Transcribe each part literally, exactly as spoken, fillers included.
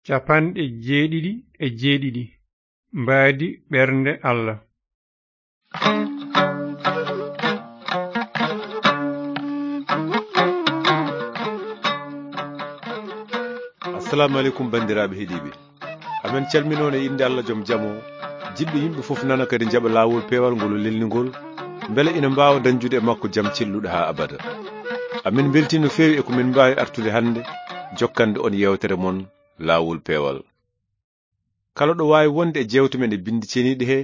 Capanɗe jeeɗiɗi e jeeɗiɗi. Mbaadi ɓernde Allah. Assalamu aleykum, banndiraaɓe heɗiiɓe. Amen calminoon e innde Allah joom jam o, jiɗɗo yimɓe fof nana kadi njaɓa laawol peewal ngol o lelni ngol, mbele ina mbaawa dañjude e makko jam celluɗo haa abada. Amin mbeltii no feewi e ko min mbaawi artude hannde, jokkande on yeewtere mon laawol peewal. Kala ɗo waawi wonde e jeewte men e binndi ceniiɗe he,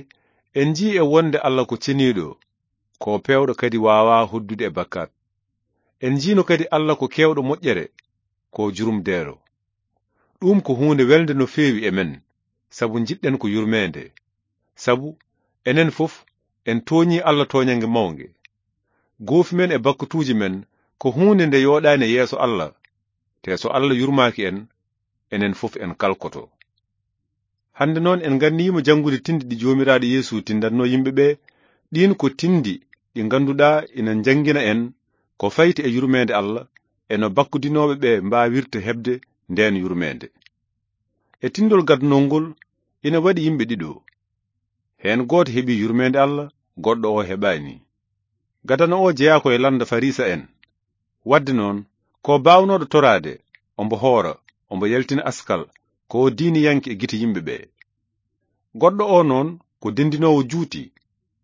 en njii e wonde Allah ko ceniiɗo, ko peewɗo kadi waawaa hoddude e bakkaat. En njiino kadi Allah ko keewɗo moƴƴere, ko jurumdeero. Ɗum ko huunde welnde no feewi e men, sabu njiɗɗen ko yurmeende. Sabu enen fof en tooñii Allah tooñannge mawnge. Goofi men e bakkatuuji men ko huunde nde yooɗaani e yeeso Allah, te so Allah yurmaaki en, enen fof en kalkoto. Hannde noon en nganniima janngude tindi ɗi Joomiraaɗo Yeesu tindatnoo yimɓe ɓe, ɗiin ko tindi ɗi ngannduɗaa ina njanngina en ko fayti e yurmeende Allah e no bakkudinooɓe ɓe mbaawirta heɓde ndeen yurmeende. E tindol gadnol ngol ina waɗi yimɓe ɗiɗo. Heen gooto heɓi yurmeende Allah, goɗɗo o heɓaani. Gadano o jeyaa ko e lannda Farisa en. Waɗde noon, ko baawnooɗo toraade, ombo hoora, ombo yaltina askal, ko diiniyanke e gite yimɓe ɓe. Goɗɗo o noon ko denndinoowo juuti,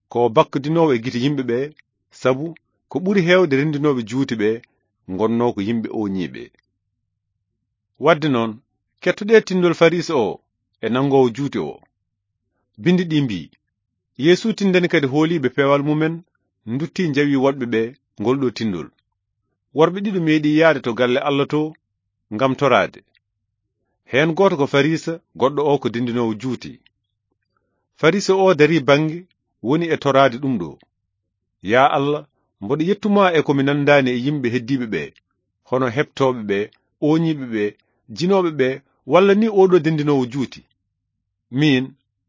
ko bakkudinoowo e gite yimɓe ɓe, sabu ko ɓuri heewde renndinooɓe juuti ɓe ngonnoo ko yimɓe ooñiiɓe. Waɗde noon, kettoɗee tindol Farisa o e nanngoowo juuti o. Binndi ɗi mbii, Yeesu tindani kadi hooliiɓe peewal mumen, nduttii njawi woɗɓe ɓe ngol ɗo tindol. Worɓe ɗiɗo meeɗii yahde to galle Allah to ngam toraade. Heen gooto ko Farisa, goɗɗo o ko denndinoowo juuti. Farisa o darii bannge, woni e toraade ɗum ɗo. Yaa Allah, mboɗo yettu ma e ko mi nanndaani e yimɓe heddiiɓe ɓe, hono heɓtooɓe ɓe, ooñiiɓe ɓe, jinooɓe ɓe, walla ni oo ɗo denndinoowo juuti. Miin,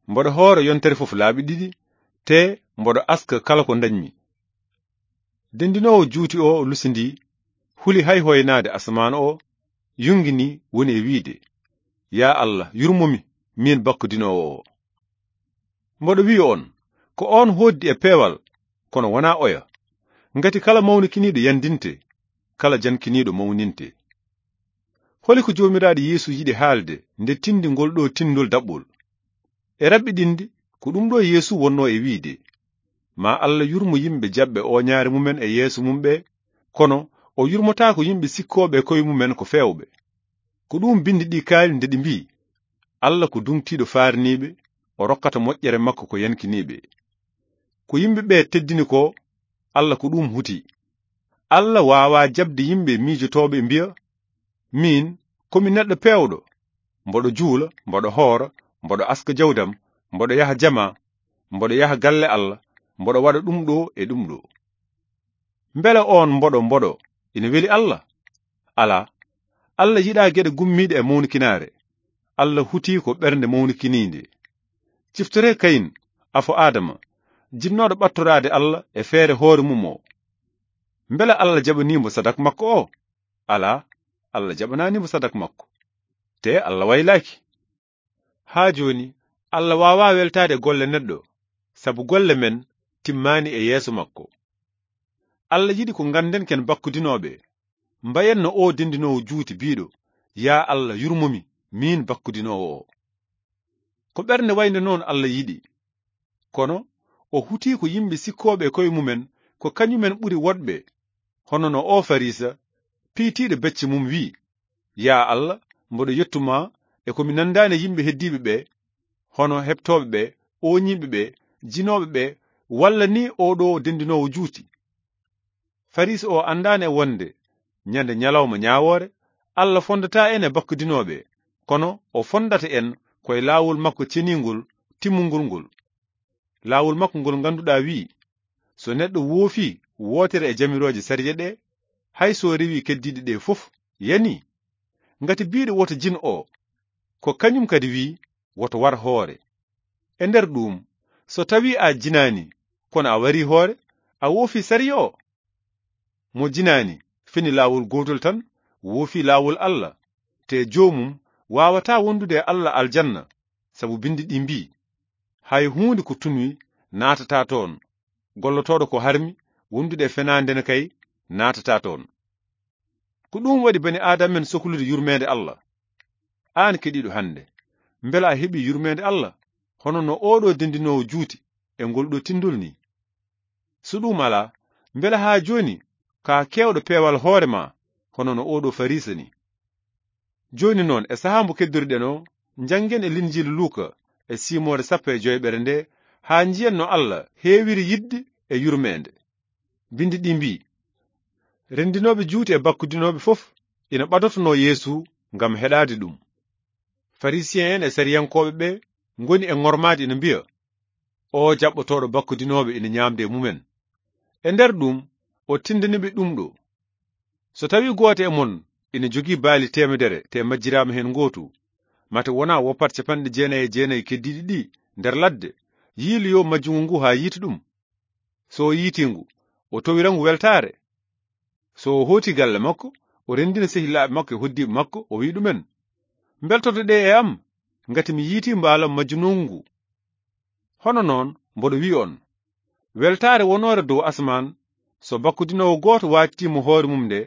mboɗo hoora yontere fof laabi ɗiɗi, te mboɗo aska kala ko ndañmi. Denndinoowo juuti o lusindii, huli hay hoynaade asamaan o, yungini woni e wiide, Yaa Allah, yurmomi, miin bakkudinoowo o. Mboɗo wiya on, ko on hooddi e peewal, kono wonaa oya. Ngati kala mawnikiniiɗo yandinte, kala jankiniiɗo mawninte. Holi ko Joomiraaɗo Yeesu yiɗi haalde nde tindi ngol ɗo tindol daɓɓol? E raɓɓiɗinde, ko ɗum ɗo Yeesu wonnoo e wiide, Ma Allah yurmo yimɓe jaɓɓe ooñaare mumen e yeeso mum ɓe, kono o yurmotaako yimɓe sikkooɓe e koye mumen ko feewɓe. Ko ɗum binndi ɗi kaali nde ɗi mbii, Allah ko duŋtiiɗo faarniiɓe, o rokkata moƴƴere makko ko yankiniiɓe. Ko yimɓe ɓe teddini ko, Allah ko ɗum huti. Allah waawaa jaɓde yimɓe miijotooɓe mbiya, Miin, ko mi neɗɗo peewɗo, mboɗo juula, mboɗo hoora, mboɗo aska jawdam, mboɗo yaha jama, mboɗo yaha galle Allah, mboɗo waɗa ɗum ɗo e ɗum ɗo. Mbele oon mboɗo mboɗo ina weli Allah? Alaa. Allah yiɗaa geɗe gummiiɗe e mawnikinaare. Allah hutii ko ɓernde mawnikiniinde. Ciftoree Kayin, afo Aadama, jinnooɗo ɓattoraade Allah e feere hoore mum o. Mbele Allah jaɓanii mo sadak makko o? Alaa, Allah jaɓanaani mo sadak makko. Te Allah waylaaki. Haa jooni, Allah waawaa weltaade golle neɗɗo, sabu golle men timmaani e yeeso makko. Allah yiɗi ko ngannden ken bakkudinooɓe, mbayen no o denndinoowo juuti biiɗo, Yaa Allah, yurmomi, miin bakkudinoowo o. Ko ɓernde waynde noon Allah yiɗi. Kono o hutii ko yimɓe sikkooɓe e koye mumen ko kañumen ɓuri woɗɓe, hono no o Farisa, piytiiɗo becce mum wii, Yaa Allah, mboɗo yettu ma e ko mi nanndaani e yimɓe heddiiɓe ɓe, hono heɓtooɓe ɓe, ooñiiɓe ɓe, jinooɓe ɓe, walla ni oo ɗo denndinoowo juuti. Farisa o anndaani e wonde ñande ñalawma ñaawoore, Allah fonndataa en e bakkudinooɓe, kono o fonndata en ko e laawol makko ceniingol, timmungol ngol. Laawol makko ngol ngannduɗaa wi'i, so neɗɗo woofii wootere e jamirooje sariya ɗe, hay so rewii keddiiɗe ɗe fof, yanii. Ngati biiɗo woto jin o, ko kañum kadi wi'i, woto war hoore. E nder ɗuum, so tawii a jinaani, kono a warii hoore, a woofii sariya o. Mo jinaani, fini laawol gootol tan, woofii laawol Allah, te joomum waawataa wondude e Alla aljanna, sabu binndi ɗi mbii, "Hay huunde ko tunwi naatataa toon, gollotooɗo ko harmi wondude e fenaande ne kay naatataa toon." Ko ɗum waɗi bani Aadama en soklude yurmeende Alla. Aan keɗiiɗo hannde, mbela a heɓii yurmeende Alla, hono no ooɗoo denndinoowo juuti e ngol ɗoo tinndol nii? So ɗum alaa, mbela haa jooni ka keewɗo peewal hoore ma, hono no ooɗoo Fariisa nii? Jooni noon, e sahaa mbo keddoriɗen o, njanngen e Linjiilu Luuka e simoore sappo e joyɓere nde, haa njiyen no Alla heewiri yiɗde e yurmeende. Binndi ɗi mbii, "Renndinooɓe juuti e bakkudinooɓe fof ina ɓadotonoo Yeesu ngam heɗaade ɗum." Farisiyen en e sariyankooɓe ɓe ngoni e ŋormaade ina mbiya, "O jaɓɓotooɗo bakkudinooɓe ina ñaamde e mumen." E nder ɗum, o tinndani ɓe ɗum ɗo, "So tawii gooto e mon ina jogii baali teemedere, te majjiraama heen gootu, mate wonaa woppat capanɗe jeenayi e jeenayi keddiiɗi ɗi nder ladde, yiiloyo majjungu ngu haa yiita ɗum. So o yiitii ngu, o towira ngu weltaare. So o hooti galle makko, o renndina sehilaaɓe makko e hoddiiɓe makko, o wi'i ɗumen, 'Mbeltoto ɗe e am, ngati mi yiitii mbaalam majjunoowu ngu.' Hono noon, mboɗo wi'i on, weltaare wonoore dow asmaan, so bakkudinoowo gooto waajtiima hoore mum nde,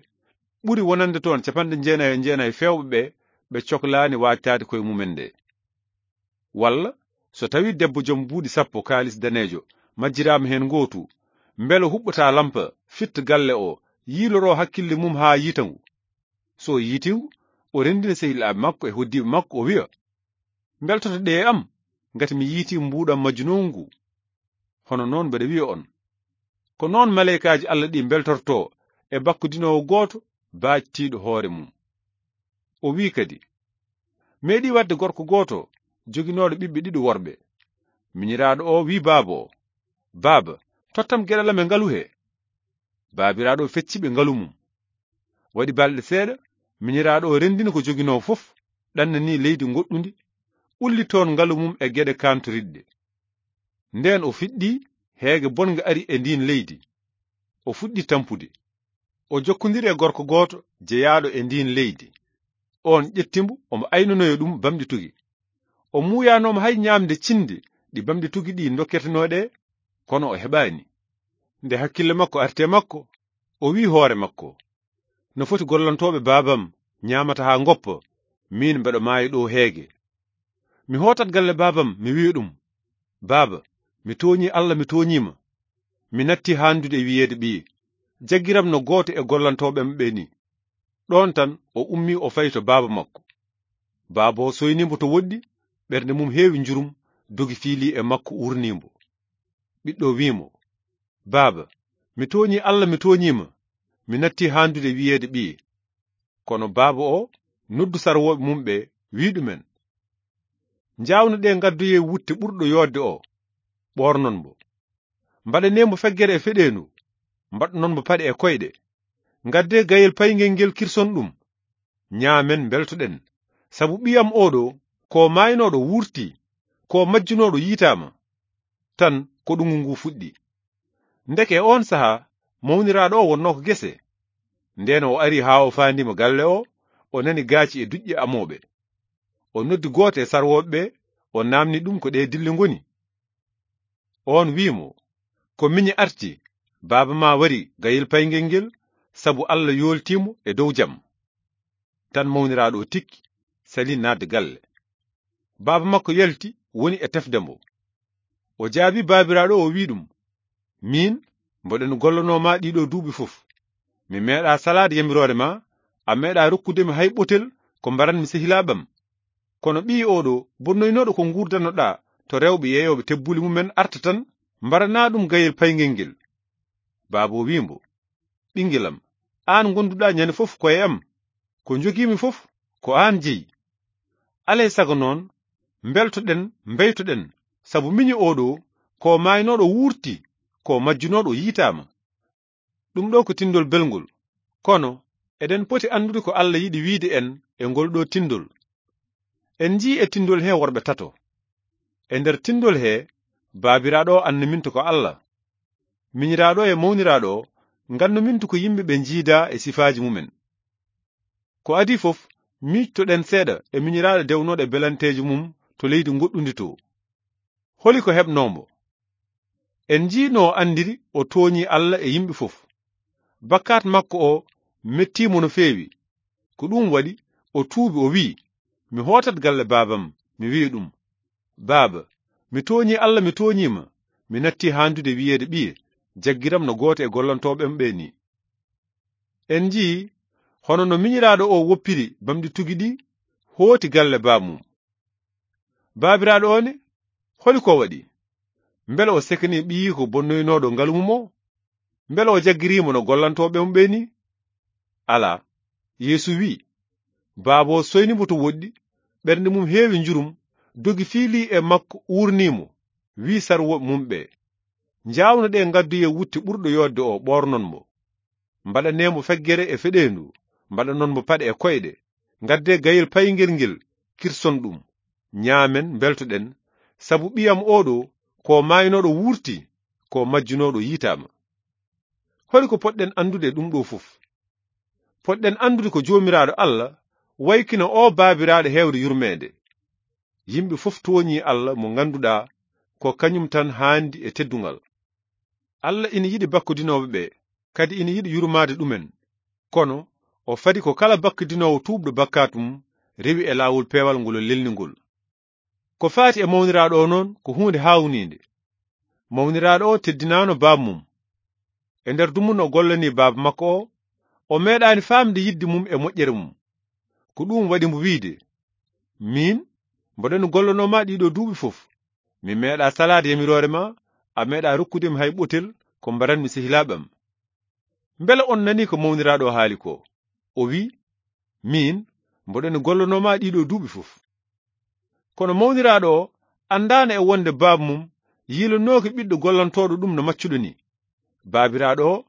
ɓuri wonande toon capanɗe jeenayi e jeenayi feewɓe ɓe, ɓe coklaani waajtaade koye mumen nde. Walla, so tawii debbo jom buuɗi sappo kaalis daneejo majjiraama heen ngootu, mbele huɓɓataa lampa, fitta galle o, yiiloroo hakkille mum haa yiita ngu? So o yiitii ngu, o renndina sehilaaɓe makko e hoddiiɓe makko, o wi'a, 'Mbeltoto ɗe e am, ngati mi yiitii mbuuɗam majjunoowu ngu.' Hono noon mbeɗa wi'a on, ko noon maleykaaji Alla ɗi mbeltortoo e bakkudinoowo gooto baajtiiɗo hoore mum. O wi'i kadi, meeɗii waɗde gorko gooto joginooɗo ɓiɓɓe ɗiɗo worɓe. Miñiraaɗo o wi'i baaba o, 'Baaba, tottam geɗal am e ngalu he.' Baabiraaɗo o fecci ɓe ngalu mum. Waɗi balɗe seeɗa, miñiraaɗo o renndini ko joginoo fof, ɗannanii leydi ngoɗɗundi, ulli toon ngalu mum e geɗe kaantoriɗɗe. Ndeen o fiɗɗii, heege bonnga ari e ndiin leydi. O fuɗɗi tampude. O jokkondiri e gorko gooto jeyaaɗo e ndiin leydi. Oon ƴetti mbo, omo aynanoya ɗum bamɗi tugi. O muuyaanooma hay ñaamde cinde ɗi bamɗi tugi ɗi ndokketenoo ɗe, kono o heɓaani. Nde hakkille makko arti e makko, o wi'i hoore makko, "No foti gollantooɓe baabam ñaamata haa ngoppa, miin mbeɗo maaya ɗo heege. Mi hootat galle baabam, mi wi'a ɗum, 'Baaba, mi tooñii Alla, mi tooñiima. Mi natti haandude e wiyeede ɓiye. Jaggiram no gooto e gollantooɓe am ɓe nii.'" Ɗoon tan o ummii, o fayi to baaba makko. Baaba o soynii mbo to woɗɗi, ɓernde mum heewi njurum, dogi fiilii e makko, uurnii mbo. Ɓiɗɗo o wi'i mo, "Baaba, mi tooñii Alla, mi tooñiima. Mi natti haandude e wiyeede ɓiye." Kono baaba o noddu sarwooɓe mum ɓe, wi'i ɗumen, "Njaawno ɗe ngaddoyee wutte ɓurɗo yooɗde o, ɓoornon mbo. Mbaɗanee mbo feggere e feɗeendu, mbaɗnon mbo paɗe e koyɗe. Ngaddee gayel payngel ngel, kirson ɗum. Ñaamen, mbeltoɗen. Sabu ɓiyam oɗo, ko maaynooɗo wuurtii, ko majjunooɗo yiitaama." Tan ko ɗunngu ngu fuɗɗi. Ndeke e oon sahaa, mawniraaɗo o wonnoo ko gese. Ndeen o ari haa o faandiima galle o, o nani gaaci e duƴƴe amooɓe. O noddi gooto e sarwooɓe ɓe, o naamni ɗum ko ɗe dille ngoni. Oon wi'i mo, "Ko miñi arti, baaba ma wari gayel payngel ngel, sabu Alla yooltii mo e dow jam." Tan mawniraaɗo o tikki, salii naatde galle. Baaba makko yalti, woni e tefde mbo. O jaabii baabiraaɗo o, o wi'i ɗum, "Miin, mboɗen gollanoo ma ɗiɗo duuɓi fof. Mi meeɗaa salaade yamiroore ma, a meeɗaa rokkude mi hay ɓotel ko mbaranmi sehilaaɓe am. Kono ɓiyi oɗo, bonnoynooɗo ko nguurdannoɗaa to rewɓe yeeyooɓe tebbuli mumen arta tan, mbaranaa ɗum gayel payngel ngel." Baaba o wi'i mbo, "Ɓinngel am, aan ngonduɗaa ñande fof ko e am. Ko njogiimi fof, ko aan jeyi. Alaa e sago noon, mbeltoɗen, mbeytoɗen, sabu miñi oɗo, ko maaynooɗo wuurti, ko majjunooɗo yiitaama." Ɗum ɗo ko tinndol belngol. Kono eɗen poti anndude ko Alla yiɗi wiide en e ngol ɗo tinndol. En njii e tinndol he worɓe tato. E nder tinndol he, baabiraaɗo o annuminta ko Alla. Miñiraaɗo e mawniraaɗo o ngannuminta ko yimɓe ɓe njiida e sifaaji mumen. Ko adii fof, miijtoɗen seeɗa e miñiraaɗo dewnooɗo e belanteejo mum to leydi ngoɗɗundi to. Holi ko heɓnoo mo? En njii no o anndiri o tooñii Alla e yimɓe fof. Bakkaat makko o mettii mo no feewi. Ko ɗum waɗi o tuubi, o wi'i, "Mi hootat galle baabam, mi wi'a ɗum, 'Baaba, mi tooñii Alla, mi tooñii ma. Mi nattii haandude wi'eede ɓiye, jaggiram no gooto e gollantooɓe am ɓe ni.'" En njii hono no miñiraaɗo o woppiri bamɗi tugi ɗi, hooti galle baabmum. Baabiraaɗo o ne, holi ko waɗi? Mbele o sekanii ɓiyiiko bonnoynooɗo ngalu mum o? Mbele o jaggirii mo no gollantooɓe mum ɓe ni? Alaa. Yeesu wi'i, "Baaba o soyni mo to woɗɗi, ɓernde mum heewi njurum, dogi fiilii e makko, uurnii mo, wi'i sarwooɓe mum ɓe, 'Njaawno ɗe ngaddoyee wutte ɓurɗo yooɗde o, ɓoornon mo. Mbaɗanee mo feggere e feɗeendu, mbaɗanon mo paɗe e koyɗe, ngaddee gayel payngel ngel, kirson ɗum. Ñaamen, mbeltoɗen, sabu ɓiyam oo ɗo, ko maaynooɗo wuurti, ko majjunooɗo yiitaama.'" Holi ko potɗen anndude e ɗum ɗo fof? Potɗen anndude ko Joomiraaɗo Alla waykina oo baabiraaɗo heewde yurmeende. Yimɓe fof tooñii Alla mo ngannduɗaa ko kañum tan haandi e teddungal. Alla ina yiɗi bakkudinooɓe ɓe, kadi ina yiɗi yurmaade ɗumen. Kono o fadi ko kala bakkudinoowo tuubɗo bakkaatu mum rewi e laawol peewal ngol o lelni ngol. Ko faati e mawniraaɗo o noon ko huunde haawniinde. Mawniraaɗo o teddinaano baaba mum. E nder dumunna o gollanii baaba makko o, o meeɗaani faamde yiɗde mum e moƴƴere mum. Ko ɗum waɗi mbo wi'de, "Miin, mboɗo gollanoo ma ɗiɗo duuɓi fof. Mi meeɗaa salaade yamiroore ma, a meeɗaa rokkude mi hay ɓotel ko mbaranmi sehilaaɓe am." Mbele on nanii ko mawniraaɗo o haali ko? O wi'i, "Miin, mboɗo gollanoo ma ɗiɗo duuɓi fof." Kono mawniraaɗo o anndaano e wonde baaba mum yiilanooki ɓiɗɗo gollantooɗo ɗum no maccuɗo ni. Baabiraaɗo o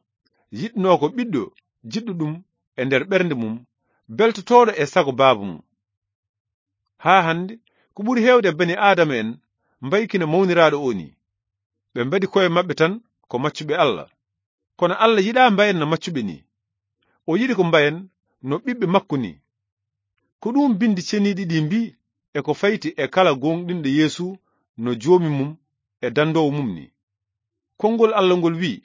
yiɗnoo ko ɓiɗɗo jiɗɗo ɗum e nder ɓernde mum, beltotooɗo e sago baaba mum. Haa hannde, ko ɓuri heewde e bani Aadama en mbaykina mawniraaɗo o ni. Ɓe mbadi koye maɓɓe tan ko maccuɓe Alla. Kono Alla yiɗaa mbayen no maccuɓe ni. O yiɗi ko mbayen no ɓiɓɓe makko ni. Ko ɗum bindi ceniiɗi ɗi mbii e ko fayti e kala gooŋɗinɗo Yeesu no Joomi mum e dandoowo mum ni. Konngol Alla ngol wi'i,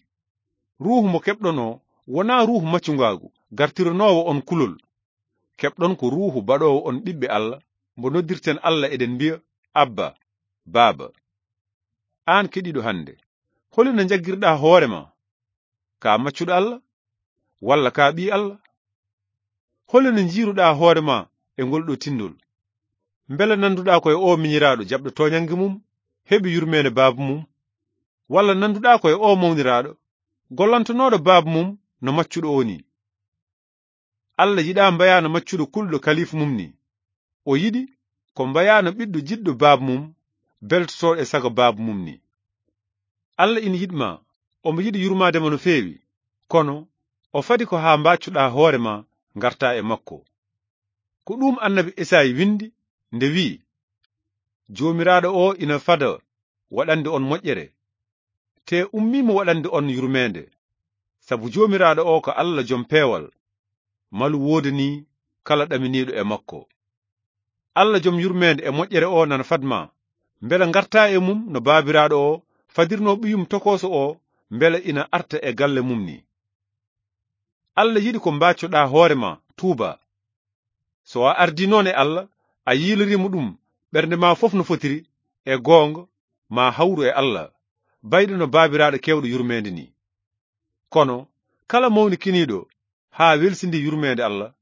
"Ruuhu mo keɓɗon o wonaa ruuhu maccungaagu, gartiranoowo on kulol. Keɓɗon ko ruuhu baɗoowo on ɓiɓɓe Alla, mbo noddirten Alla eɗen mbi'a, 'Abba, Baaba.'" Aan keɗiiɗo hannde, holi no njaggirɗaa hoore ma? Ka maccuɗo Alla? Walla ka ɓii Alla? Holi no njiiruɗaa hoore ma e ngol ɗo tinndol? Mbele nannduɗaa ko e o miñiraaɗo jaɓɗo tooñannge mum, heɓi yurmeende baaba mum? Walla nannduɗaa ko e o mawniraaɗo, gollantonooɗo baaba mum no maccuɗo o ni? Alla yiɗaa mbayaa no maccuɗo kulɗo kaliif mum ni. O yiɗi ko mbayaa no ɓiɗɗo jiɗɗo baaba mum, beltotooɗo e sago baaba mum ni. Alla ina yiɗ ma, omo yiɗi yurmaade ma no feewi, kono o fadi ko haa mbaccuɗaa hoore ma ngartaa e makko. Ko ɗum annabi Esayi winndi nde wi'i, "Joomiraaɗo o ina fada waɗande on moƴƴere, te ummii mo waɗande on yurmeende, sabu Joomiraaɗo o ko Alla jom peewal, malu woodanii kala ɗaminiiɗo e makko." Alla jom yurmeende e moƴƴere o nana fad ma, mbele ngartaa e mum no baabiraaɗo o fadirnoo ɓiyum tokooso o, mbele ina arta e galle mum ni. Alla yiɗi ko mbaccoɗaa hoore ma, tuuba. So a ardii noon e Alla, a yiiloriima ɗum ɓernde ma fof no fotiri, e goonga, ma hawru e Alla, bayɗo no baabiraaɗo keewɗo yurmeende ni. Kono kala mawnikiniiɗo haa welsindii yurmeende Alla,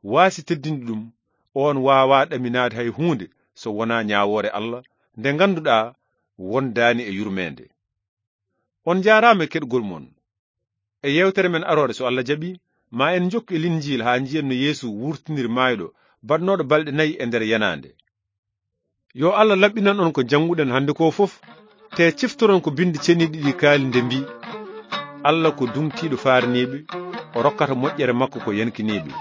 waasi teddinde ɗum, oon waawaa ɗaminaade hay huunde so wonaa ñaawoore Alla, nde ngannduɗaa wondaani e yurmeende. On njaaraama e keɗgol mon. E yeewtere men aroore, so Alla jaɓi, ma en njokku e Linjiil haa njiyen no Yeesu wurtiniri maayɗo, baɗnooɗo balɗe nayi e nder yenaande. Yo Alla laɓɓinan on ko njannguɗen hannde ko fof, te ciftoron ko binndi ceniiɗi ɗi kaali nde mbii, "Alla ko duŋtiiɗo faarniiɓe, o rokkata moƴƴere makko ko yankiniiɓe."